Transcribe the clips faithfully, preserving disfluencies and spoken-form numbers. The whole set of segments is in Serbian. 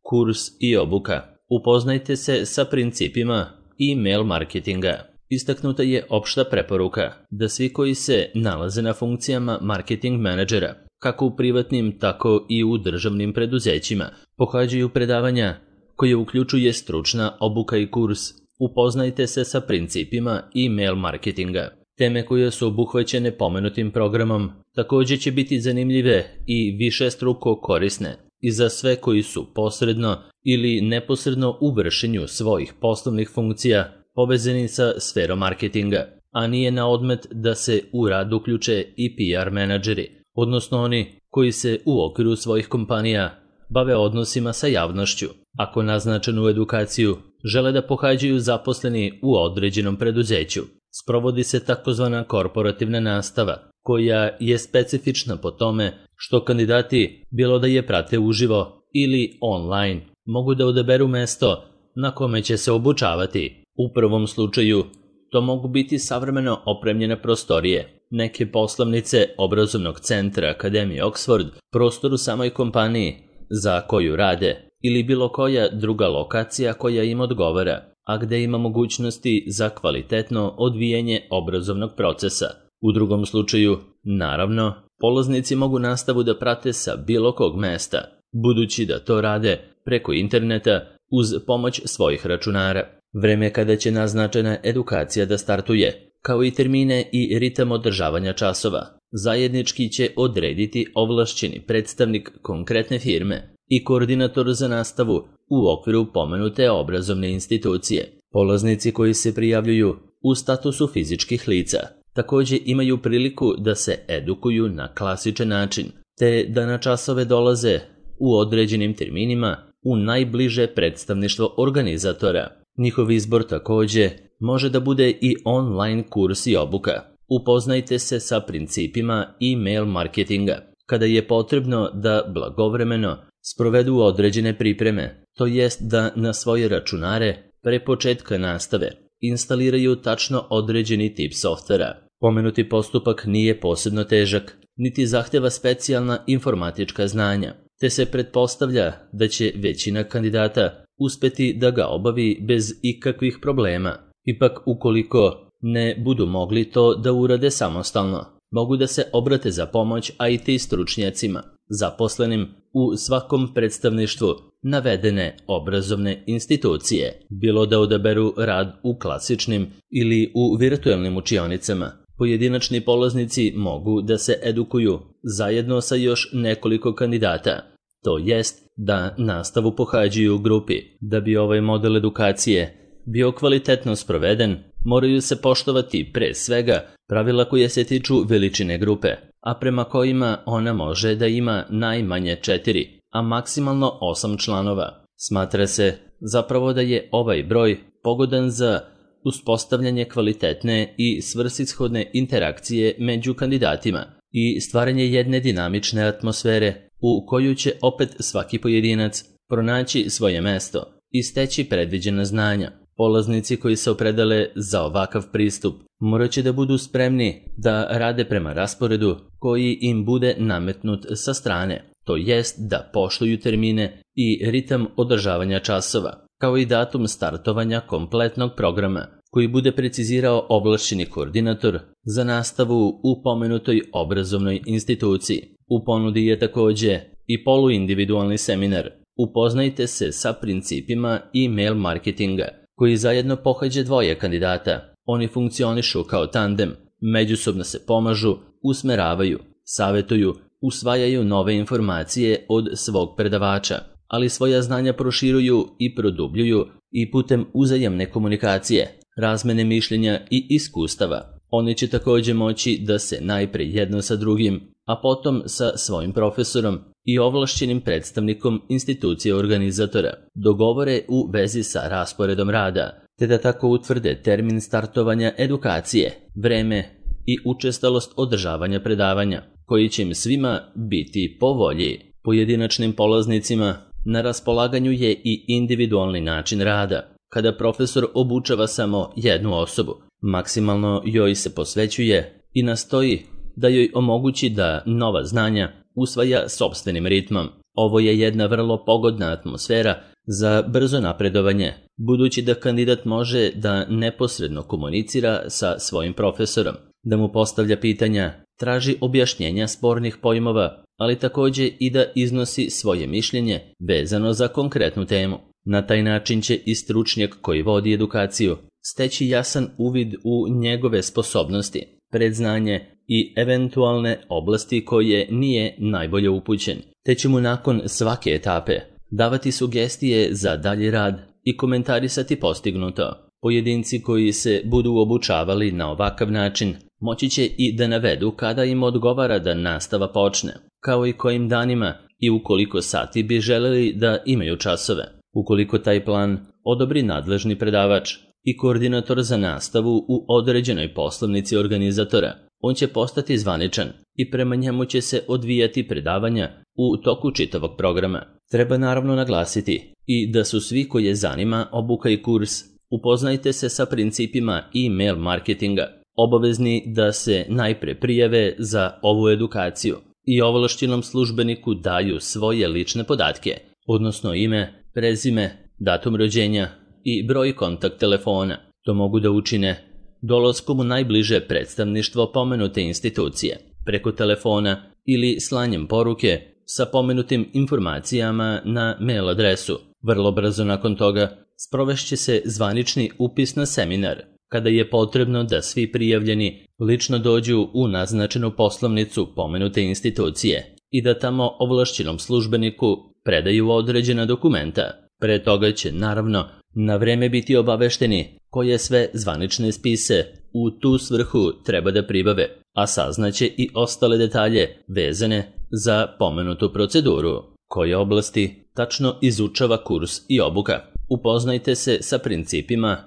Kurs i obuka. Upoznajte se sa principima e-mail marketinga. Istaknuta je opšta preporuka da svi koji se nalaze na funkcijama marketing menadžera, kako u privatnim, tako i u državnim preduzećima, pohađaju predavanja koje uključuje stručna obuka i kurs. Upoznajte se sa principima e-mail marketinga. Teme koje su obuhvaćene pomenutim programom također će biti zanimljive i višestruko korisne i za sve koji su posredno ili neposredno u vršenju svojih poslovnih funkcija povezani sa sferom marketinga, a nije na odmet da se u rad uključe i P R menadžeri, odnosno oni koji se u okviru svojih kompanija bave odnosima sa javnošću. Ako naznačenu edukaciju žele da pohađaju zaposleni u određenom preduzeću, sprovodi se takozvana korporativna nastava, koja je specifična po tome što kandidati, bilo da je prate uživo ili online, mogu da odaberu mesto na kome će se obučavati. U prvom slučaju, to mogu biti savremeno opremljene prostorije, neke poslovnice obrazovnog centra Akademije Oxford, prostor u samoj kompaniji za koju rade ili bilo koja druga lokacija koja im odgovara, a gde ima mogućnosti za kvalitetno odvijanje obrazovnog procesa. U drugom slučaju, naravno, polaznici mogu nastavu da prate sa bilo kog mesta, budući da to rade preko interneta uz pomoć svojih računara. Vreme kada će naznačena edukacija da startuje, kao i termine i ritam održavanja časova, zajednički će odrediti ovlašćeni predstavnik konkretne firme i koordinator za nastavu u okviru pomenute obrazovne institucije. Polaznici koji se prijavljuju u statusu fizičkih lica također imaju priliku da se edukuju na klasičan način, te da na časove dolaze u određenim terminima u najbliže predstavništvo organizatora. Njihov izbor također može da bude i online kurs i obuka. Upoznajte se sa principima e-mail marketinga kada je potrebno da blagovremeno sprovedu određene pripreme, to jest da na svoje računare pre početka nastave instaliraju tačno određeni tip softvera. Pomenuti postupak nije posebno težak, niti zahteva specijalna informatička znanja, te se pretpostavlja da će većina kandidata uspeti da ga obavi bez ikakvih problema. Ipak, ukoliko ne budu mogli to da urade samostalno, mogu da se obrate za pomoć I T stručnjacima, zaposlenim u svakom predstavništvu navedene obrazovne institucije, bilo da odaberu rad u klasičnim ili u virtualnim učionicama. Pojedinačni polaznici mogu da se edukuju zajedno sa još nekoliko kandidata, to jest da nastavu pohađaju u grupi. Da bi ovaj model edukacije bio kvalitetno sproveden, moraju se poštovati pre svega pravila koje se tiču veličine grupe, a prema kojima ona može da ima najmanje četiri, a maksimalno osam članova. Smatra se zapravo da je ovaj broj pogodan za uspostavljanje kvalitetne i svrsishodne interakcije među kandidatima i stvaranje jedne dinamične atmosfere u koju će opet svaki pojedinac pronaći svoje mesto i steći predviđena znanja. Polaznici koji se opredele za ovakav pristup morat će da budu spremni da rade prema rasporedu koji im bude nametnut sa strane, to jest da poštuju termine i ritam održavanja časova, kao i datum startovanja kompletnog programa, koji bude precizirao ovlašćeni koordinator za nastavu u pomenutoj obrazovnoj instituciji. U ponudi je također i poluindividualni seminar. Upoznajte se sa principima e-mail marketinga, koji zajedno pohađe dvoje kandidata. Oni funkcionišu kao tandem, međusobno se pomažu, usmeravaju, savetuju, usvajaju nove informacije od svog predavača, ali svoja znanja proširuju i produbljuju i putem uzajamne komunikacije, razmene mišljenja i iskustava. Oni će također moći da se najpre jedno sa drugim, a potom sa svojim profesorom i ovlašćenim predstavnikom institucije organizatora dogovore u vezi sa rasporedom rada, te da tako utvrde termin startovanja edukacije, vreme i učestalost održavanja predavanja, koji će im svima biti po volji. Pojedinačnim polaznicima na raspolaganju je i individualni način rada, kada profesor obučava samo jednu osobu. Maksimalno joj se posvećuje i nastoji da joj omogući da nova znanja usvaja sopstvenim ritmom. Ovo je jedna vrlo pogodna atmosfera za brzo napredovanje, budući da kandidat može da neposredno komunicira sa svojim profesorom, da mu postavlja pitanja, traži objašnjenja spornih pojmova, ali takođe i da iznosi svoje mišljenje vezano za konkretnu temu. Na taj način će i stručnjak koji vodi edukaciju steći jasan uvid u njegove sposobnosti, predznanje i eventualne oblasti koje nije najbolje upućen, te će mu nakon svake etape davati sugestije za dalji rad i komentarisati postignuto. Pojedinci koji se budu obučavali na ovakav način moći će i da navedu kada im odgovara da nastava počne, kao i kojim danima i u koliko sati bi želeli da imaju časove. Ukoliko taj plan odobri nadležni predavač i koordinator za nastavu u određenoj poslovnici organizatora, on će postati zvaničan i prema njemu će se odvijati predavanja u toku čitavog programa. Treba naravno naglasiti i da su svi koje zanima obuka i kurs Upoznajte se sa principima e-mail marketinga obavezni da se najpre prijave za ovu edukaciju i ovlašćenom službeniku daju svoje lične podatke, odnosno ime, prezime, datum rođenja i broj kontakt telefona. To mogu da učine dolaskom u najbliže predstavništvo pomenute institucije, preko telefona ili slanjem poruke sa pomenutim informacijama na mail adresu. Vrlo brzo nakon toga sprovešće se zvanični upis na seminar, kada je potrebno da svi prijavljeni lično dođu u naznačenu poslovnicu pomenute institucije i da tamo ovlašćenom službeniku predaju određena dokumenta. Pre toga će naravno na vreme biti obavešteni koje sve zvanične spise u tu svrhu treba da pribave, a saznaće i ostale detalje vezane za pomenutu proceduru. Koje oblasti tačno izučava kurs i obuka? Upoznajte se sa principima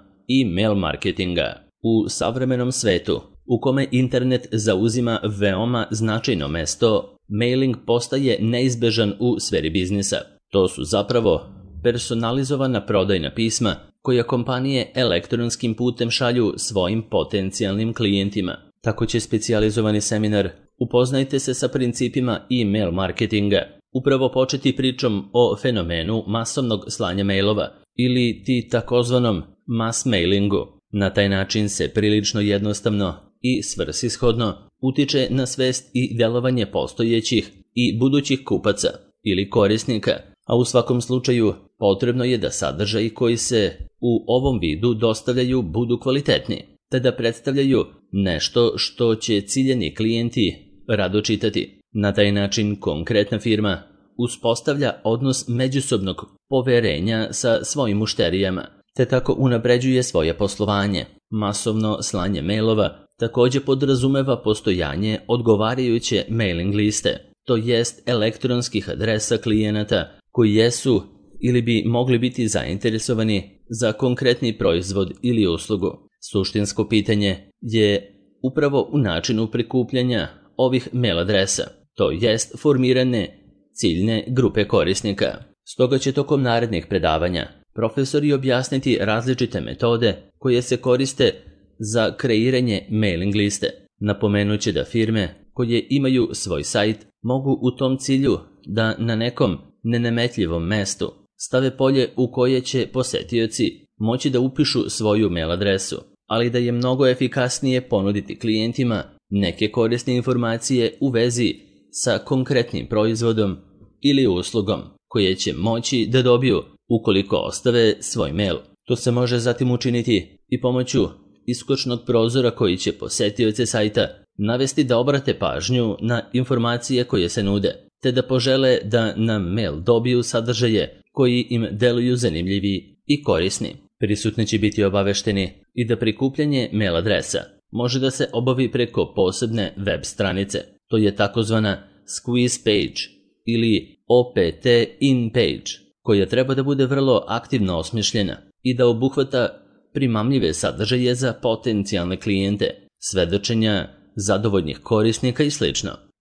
e-mail marketinga. U savremenom svetu, u kome internet zauzima veoma značajno mesto, mailing postaje neizbežan u sferi biznisa. To su zapravo personalizovana prodajna pisma koja kompanije elektronskim putem šalju svojim potencijalnim klijentima. Tako će specijalizovani seminar Upoznajte se sa principima e-mail marketinga upravo početi pričom o fenomenu masovnog slanja mailova ili ti takozvanom mass mailingu. Na taj način se prilično jednostavno i svrsishodno utiče na svest i delovanje postojećih i budućih kupaca ili korisnika, a u svakom slučaju potrebno je da sadržaji koji se u ovom vidu dostavljaju budu kvalitetni, te da predstavljaju nešto što će ciljani klijenti rado čitati. Na taj način konkretna firma uspostavlja odnos međusobnog poverenja sa svojim mušterijama, te tako unapređuje svoje poslovanje. Masovno slanje mailova takođe podrazumeva postojanje odgovarajuće mailing liste, to jest elektronskih adresa klijenata koji jesu ili bi mogli biti zainteresovani za konkretni proizvod ili uslugu. Suštinsko pitanje je upravo u načinu prikupljanja ovih mail adresa, to jest formirane ciljne grupe korisnika. Stoga će tokom narednih predavanja profesori objasniti različite metode koje se koriste za kreiranje mailing liste. Napomenuće da firme koje imaju svoj sajt mogu u tom cilju da na nekom nenametljivom mestu stave polje u koje će posetioci moći da upišu svoju mail adresu, ali da je mnogo efikasnije ponuditi klijentima neke korisne informacije u vezi sa konkretnim proizvodom ili uslugom koje će moći da dobiju ukoliko ostave svoj mail. To se može zatim učiniti i pomoću iskočnog prozora koji će posetioce sajta navesti da obrate pažnju na informacije koje se nude, te da požele da na mail dobiju sadržaje koji im deluju zanimljivi i korisni. Prisutni će biti obavešteni i da prikupljanje mail adresa može da se obavi preko posebne web stranice. To je takozvana squeeze page ili O P T in page, koja treba da bude vrlo aktivno osmišljena i da obuhvata primamljive sadržaje za potencijalne klijente, svedočenja zadovoljnih korisnika i sl.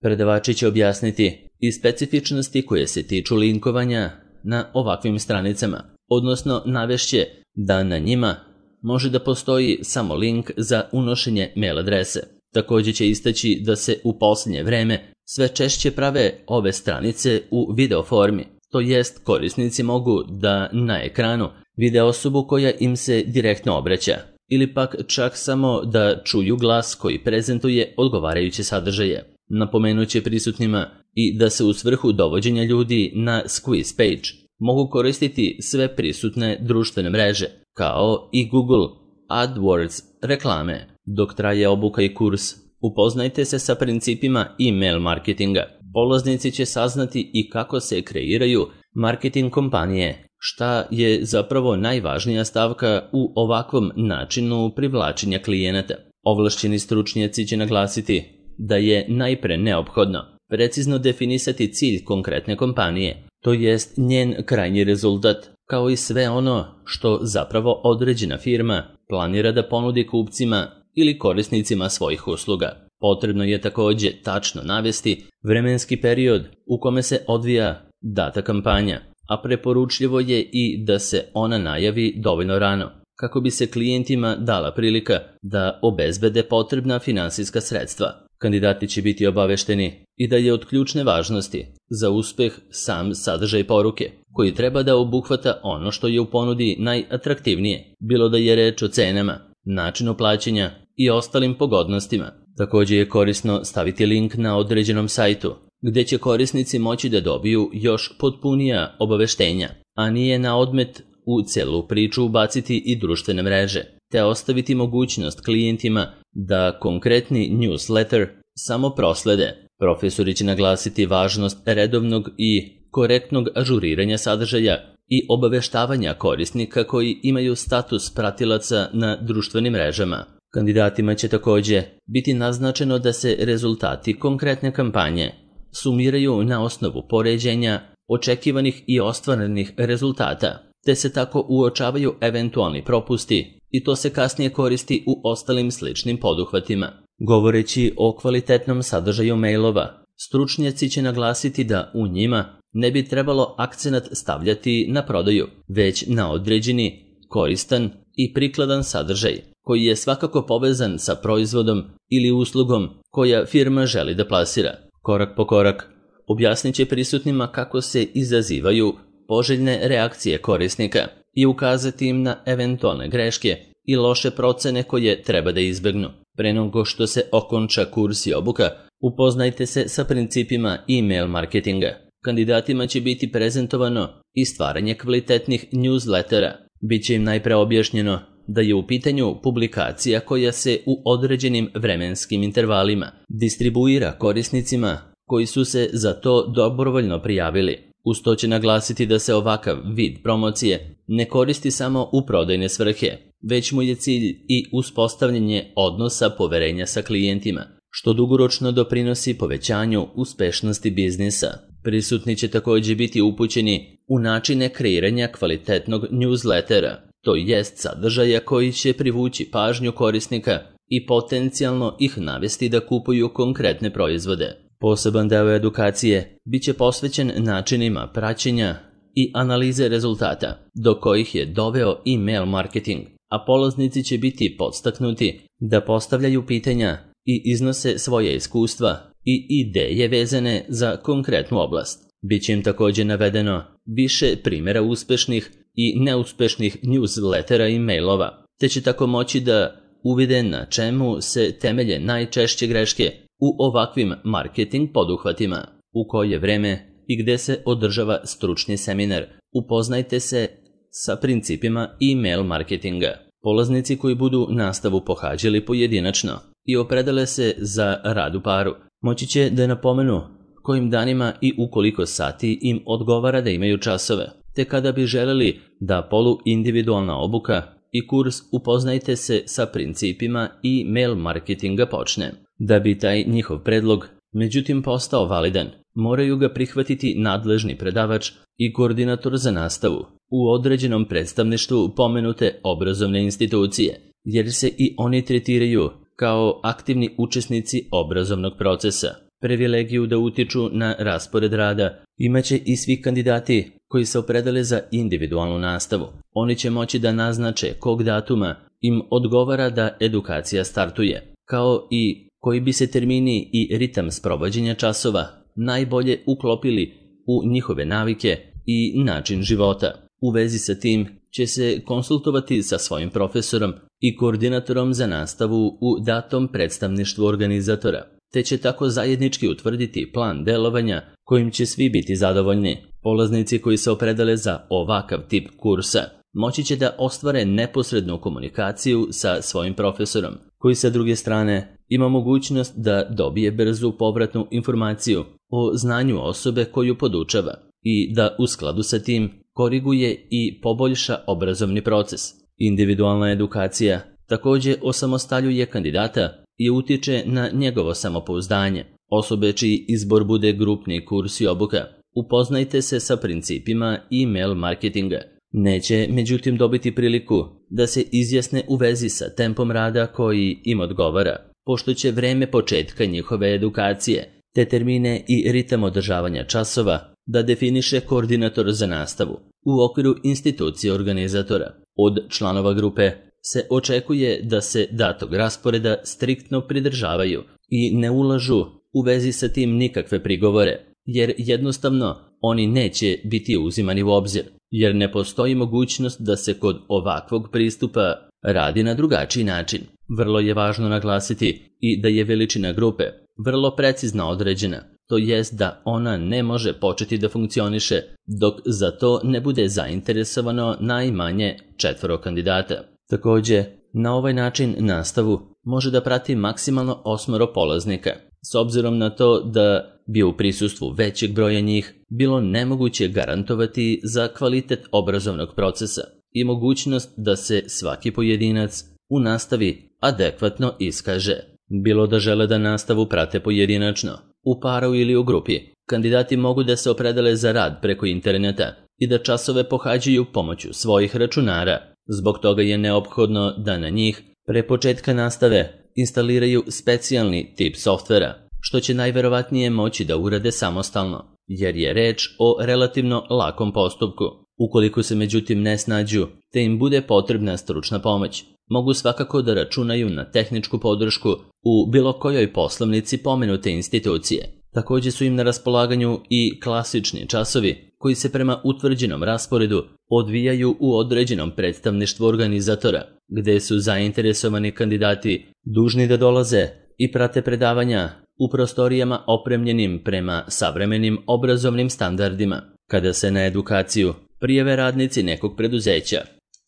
Predavači će objasniti i specifičnosti koje se tiču linkovanja na ovakvim stranicama, odnosno navešće da na njima može da postoji samo link za unošenje mail adrese. Takođe će istaći da se u posljednje vreme sve češće prave ove stranice u video formi, to jest korisnici mogu da na ekranu vide osobu koja im se direktno obraća, ili pak čak samo da čuju glas koji prezentuje odgovarajuće sadržaje. Napomenuće prisutnima i da se u svrhu dovođenja ljudi na squeeze page mogu koristiti sve prisutne društvene mreže, kao i Google AdWords reklame. Dok traje obuka i kurs, upoznajte se sa principima e-mail marketinga. Polaznici će saznati i kako se kreiraju marketing kompanije, šta je zapravo najvažnija stavka u ovakvom načinu privlačenja klijenata. Ovlašćeni stručnjaci će naglasiti da je najpre neophodno precizno definisati cilj konkretne kompanije, to jest njen krajnji rezultat, kao i sve ono što zapravo određena firma planira da ponudi kupcima ili korisnicima svojih usluga. Potrebno je također tačno navesti vremenski period u kome se odvija data kampanja, a preporučljivo je i da se ona najavi dovoljno rano, kako bi se klijentima dala prilika da obezbede potrebna finansijska sredstva. Kandidati će biti obavešteni i da je od ključne važnosti za uspeh sam sadržaj poruke, koji treba da obuhvata ono što je u ponudi najatraktivnije, bilo da je reč o cenama, načinu plaćanja i ostalim pogodnostima. Također je korisno staviti link na određenom sajtu, gdje će korisnici moći da dobiju još potpunija obaveštenja, a nije na odmet u celu priču ubaciti i društvene mreže, te ostaviti mogućnost klijentima da konkretni newsletter samo proslede. Profesori će naglasiti važnost redovnog i korektnog ažuriranja sadržaja i obaveštavanja korisnika koji imaju status pratilaca na društvenim mrežama. Kandidatima će također biti naznačeno da se rezultati konkretne kampanje sumiraju na osnovu poređenja očekivanih i ostvarenih rezultata, te se tako uočavaju eventualni propusti i to se kasnije koristi u ostalim sličnim poduhvatima. Govoreći o kvalitetnom sadržaju mailova, stručnjaci će naglasiti da u njima ne bi trebalo akcenat stavljati na prodaju, već na određeni, koristan i prikladan sadržaj, koji je svakako povezan sa proizvodom ili uslugom koja firma želi da plasira. Korak po korak objasnit će prisutnima kako se izazivaju poželjne reakcije korisnika i ukazati im na eventualne greške i loše procene koje treba da izbegnu. Pre nego što se okonča kurs i obuka, upoznajte se sa principima e-mail marketinga. Kandidatima će biti prezentovano i stvaranje kvalitetnih newslettera. Biće im najpre objašnjeno da je u pitanju publikacija koja se u određenim vremenskim intervalima distribuira korisnicima koji su se za to dobrovoljno prijavili. Uz to će naglasiti da se ovakav vid promocije ne koristi samo u prodajne svrhe, već mu je cilj i uspostavljanje odnosa poverenja sa klijentima, što dugoročno doprinosi povećanju uspešnosti biznisa. Prisutni će također biti upućeni u načine kreiranja kvalitetnog newslettera, to jest sadržaja koji će privući pažnju korisnika i potencijalno ih navesti da kupuju konkretne proizvode. Poseban deo edukacije bit će posvećen načinima praćenja i analize rezultata, do kojih je doveo e-mail marketing, a polaznici će biti podstaknuti da postavljaju pitanja i iznose svoje iskustva i ideje vezane za konkretnu oblast. Biće im također navedeno više primjera uspešnih i neuspešnih newslettera i mailova, te će tako moći da uvide na čemu se temelje najčešće greške u ovakvim marketing poduhvatima. U koje vreme i gde se održava stručni seminar, upoznajte se sa principima e-mail marketinga. Polaznici koji budu nastavu pohađali pojedinačno i opredele se za rad u paru, moći će da napomenu kojim danima i u koliko sati im odgovara da imaju časove, te kada bi želeli da polu-individualna obuka i kurs upoznajte se sa principima e-mail marketinga počne. Da bi taj njihov predlog međutim postao validan, moraju ga prihvatiti nadležni predavač i koordinator za nastavu u određenom predstavništvu pomenute obrazovne institucije, jer se i oni tretiraju kao aktivni učesnici obrazovnog procesa. Privilegiju da utiču na raspored rada imaće i svi kandidati koji se opredele za individualnu nastavu. Oni će moći da naznače kog datuma im odgovara da edukacija startuje, kao i koji bi se termini i ritam sprovođenja časova najbolje uklopili u njihove navike i način života. U vezi sa tim će se konsultovati sa svojim profesorom i koordinatorom za nastavu u datom predstavništvu organizatora, te će tako zajednički utvrditi plan delovanja kojim će svi biti zadovoljni. Polaznici koji se opredele za ovakav tip kursa moći će da ostvare neposrednu komunikaciju sa svojim profesorom, koji sa druge strane ima mogućnost da dobije brzu povratnu informaciju o znanju osobe koju podučava i da u skladu sa tim koriguje i poboljša obrazovni proces. Individualna edukacija također osamostaljuje kandidata i utiče na njegovo samopouzdanje. Osobe čiji izbor bude grupni kurs i obuka, upoznajte se sa principima e-mail marketinga. Neće, međutim, dobiti priliku da se izjasne u vezi sa tempom rada koji im odgovara, pošto će vreme početka njihove edukacije, te termine i ritam održavanja časova da definiše koordinator za nastavu u okviru institucije organizatora. Od članova grupe se očekuje da se datog rasporeda striktno pridržavaju i ne ulažu u vezi sa tim nikakve prigovore, jer jednostavno oni neće biti uzimani u obzir, jer ne postoji mogućnost da se kod ovakvog pristupa radi na drugačiji način. Vrlo je važno naglasiti i da je veličina grupe vrlo precizno određena, to jest da ona ne može početi da funkcioniše dok za to ne bude zainteresovano najmanje četvoro kandidata. Također, na ovaj način nastavu može da prati maksimalno osmoro polaznika, s obzirom na to da bi u prisustvu većeg broja njih bilo nemoguće garantovati za kvalitet obrazovnog procesa i mogućnost da se svaki pojedinac u nastavi adekvatno iskaže. Bilo da žele da nastavu prate pojedinačno, u paru ili u grupi, kandidati mogu da se opredele za rad preko interneta i da časove pohađaju pomoću svojih računara. Zbog toga je neophodno da na njih pre početka nastave instaliraju specijalni tip softvera, što će najverovatnije moći da urade samostalno, jer je reč o relativno lakom postupku. Ukoliko se međutim ne snađu, te im bude potrebna stručna pomoć, mogu svakako da računaju na tehničku podršku u bilo kojoj poslovnici pomenute institucije. Također su im na raspolaganju i klasični časovi koji se prema utvrđenom rasporedu odvijaju u određenom predstavništvu organizatora, gde su zainteresovani kandidati dužni da dolaze i prate predavanja u prostorijama opremljenim prema savremenim obrazovnim standardima. Kada se na edukaciju prijave radnici nekog preduzeća,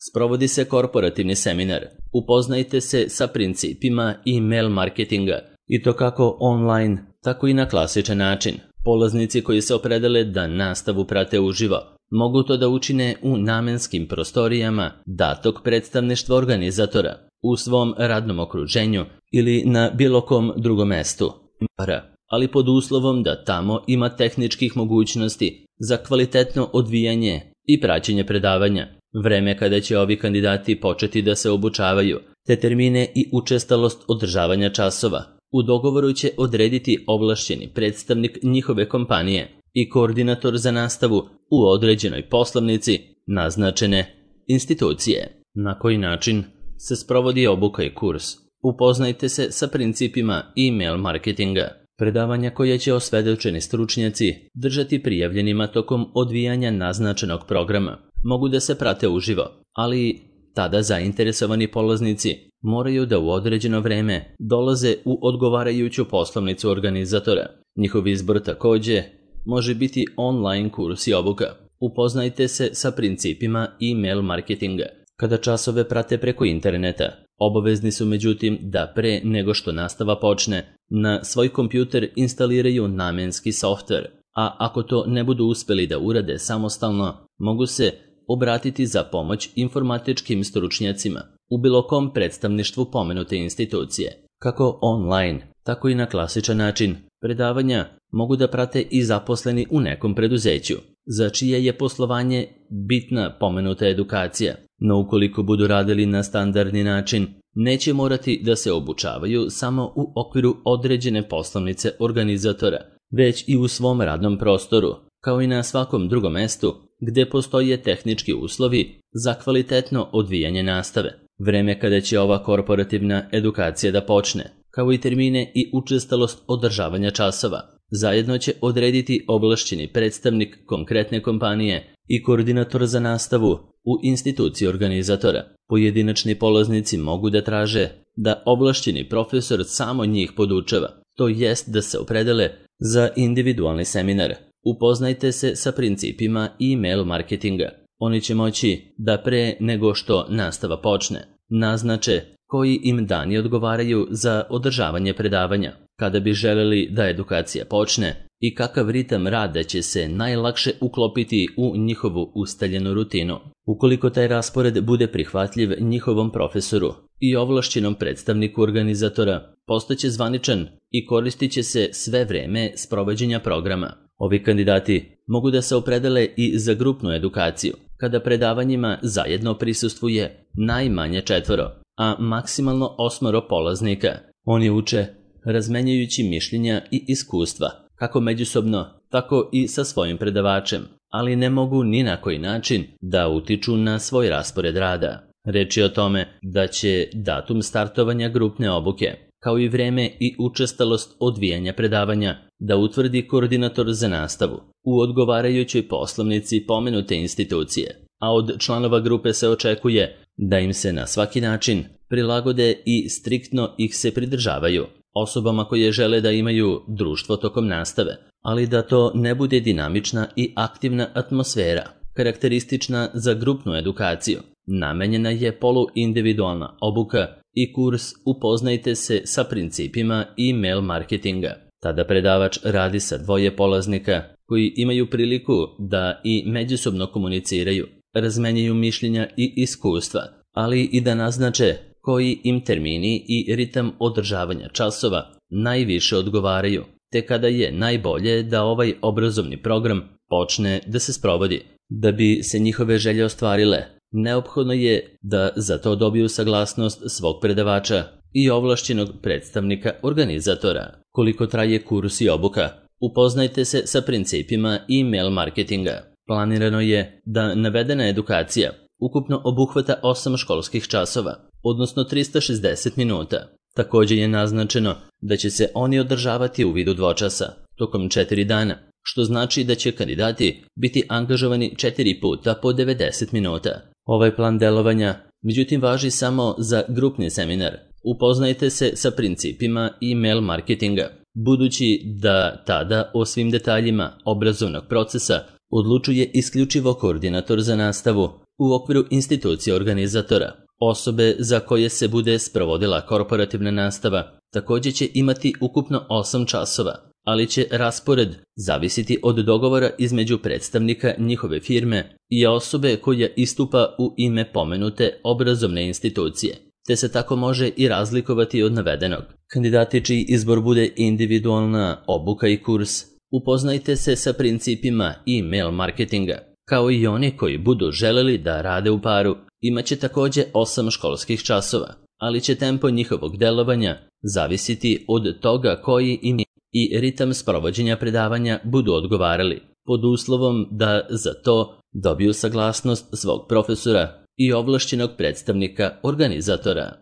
sprovodi se korporativni seminar. Upoznajte se sa principima e-mail marketinga i to kako online, tako i na klasičan način. Polaznici koji se opredele da nastavu prate uživo mogu to da učine u namenskim prostorijama datog predstavništva organizatora, u svom radnom okruženju ili na bilo kom drugom mestu, ali pod uslovom da tamo ima tehničkih mogućnosti za kvalitetno odvijanje i praćenje predavanja. Vreme kada će ovi kandidati početi da se obučavaju, te termine i učestalost održavanja časova u dogovoru će odrediti ovlašćeni predstavnik njihove kompanije i koordinator za nastavu u određenoj poslovnici naznačene institucije. Na koji način se sprovodi obuka i kurs? Upoznajte se sa principima e-mail marketinga. Predavanja koje će osvedočeni stručnjaci držati prijavljenima tokom odvijanja naznačenog programa mogu da se prate uživo, ali tada zainteresovani polaznici moraju da u određeno vreme dolaze u odgovarajuću poslovnicu organizatora. Njihov izbor također može biti online kurs i obuka. Upoznajte se sa principima e-mail marketinga. Kada časove prate preko interneta, obavezni su međutim da pre nego što nastava počne, na svoj kompjuter instaliraju namenski softver, a ako to ne budu uspeli da urade samostalno, mogu se obratiti za pomoć informatičkim stručnjacima u bilo kom predstavništvu pomenute institucije. Kako online, tako i na klasičan način, predavanja mogu da prate i zaposleni u nekom preduzeću, za čije je poslovanje bitna pomenuta edukacija, no ukoliko budu radili na standardni način, neće morati da se obučavaju samo u okviru određene poslovnice organizatora, već i u svom radnom prostoru, kao i na svakom drugom mestu gde postoje tehnički uslovi za kvalitetno odvijanje nastave. Vreme kada će ova korporativna edukacija da počne kao i termine i učestalost održavanja časova. Zajedno će odrediti ovlašćeni predstavnik konkretne kompanije i koordinator za nastavu u instituciji organizatora. Pojedinačni polaznici mogu da traže da ovlašćeni profesor samo njih podučava, to jest da se opredele za individualni seminar. Upoznajte se sa principima e-mail marketinga. Oni će moći da pre nego što nastava počne naznače koji im dani odgovaraju za održavanje predavanja, kada bi želeli da edukacija počne i kakav ritam rada će se najlakše uklopiti u njihovu ustaljenu rutinu. Ukoliko taj raspored bude prihvatljiv njihovom profesoru i ovlašćenom predstavniku organizatora, postaće zvaničan i koristit će se sve vreme sprovođenja programa. Ovi kandidati mogu da se opredele i za grupnu edukaciju, kada predavanjima zajedno prisustvuje najmanje četvoro, a maksimalno osmoro polaznika. Oni uče razmenjujući mišljenja i iskustva, kako međusobno, tako i sa svojim predavačem, ali ne mogu ni na koji način da utiču na svoj raspored rada. Reč je o tome da će datum startovanja grupne obuke, kao i vreme i učestalost odvijanja predavanja, da utvrdi koordinator za nastavu u odgovarajućoj poslovnici pomenute institucije, a od članova grupe se očekuje da im se na svaki način prilagode i striktno ih se pridržavaju, osobama koje žele da imaju društvo tokom nastave, ali da to ne bude dinamična i aktivna atmosfera, karakteristična za grupnu edukaciju. Namenjena je poluindividualna obuka i kurs Upoznajte se sa principima e-mail marketinga. Tada predavač radi sa dvoje polaznika koji imaju priliku da i međusobno komuniciraju, razmenjuju mišljenja i iskustva, ali i da naznače koji im termini i ritam održavanja časova najviše odgovaraju, te kada je najbolje da ovaj obrazovni program počne da se sprovodi. Da bi se njihove želje ostvarile, neophodno je da za to dobiju saglasnost svog predavača i ovlašćenog predstavnika organizatora. Koliko traje kurs i obuka? Upoznajte se sa principima e-mail marketinga. Planirano je da navedena edukacija ukupno obuhvata osam školskih časova, odnosno trista šezdeset minuta. Također je naznačeno da će se oni održavati u vidu dvočasa, tokom četiri dana, što znači da će kandidati biti angažovani četiri puta po devedeset minuta. Ovaj plan delovanja, međutim, važi samo za grupni seminar. Upoznajte se sa principima e-mail marketinga, budući da tada o svim detaljima obrazovnog procesa odlučuje isključivo koordinator za nastavu u okviru institucije organizatora. Osobe za koje se bude sprovodila korporativna nastava također će imati ukupno osam časova, ali će raspored zavisiti od dogovora između predstavnika njihove firme i osobe koja istupa u ime pomenute obrazovne institucije, te se tako može i razlikovati od navedenog. Kandidati čiji izbor bude individualna obuka i kurs, upoznajte se sa principima e-mail marketinga, kao i oni koji budu želeli da rade u paru, imaće također osam školskih časova, ali će tempo njihovog delovanja zavisiti od toga koji im i ritam sprovođenja predavanja budu odgovarali, pod uslovom da za to dobiju saglasnost svog profesora i ovlašćenog predstavnika organizatora.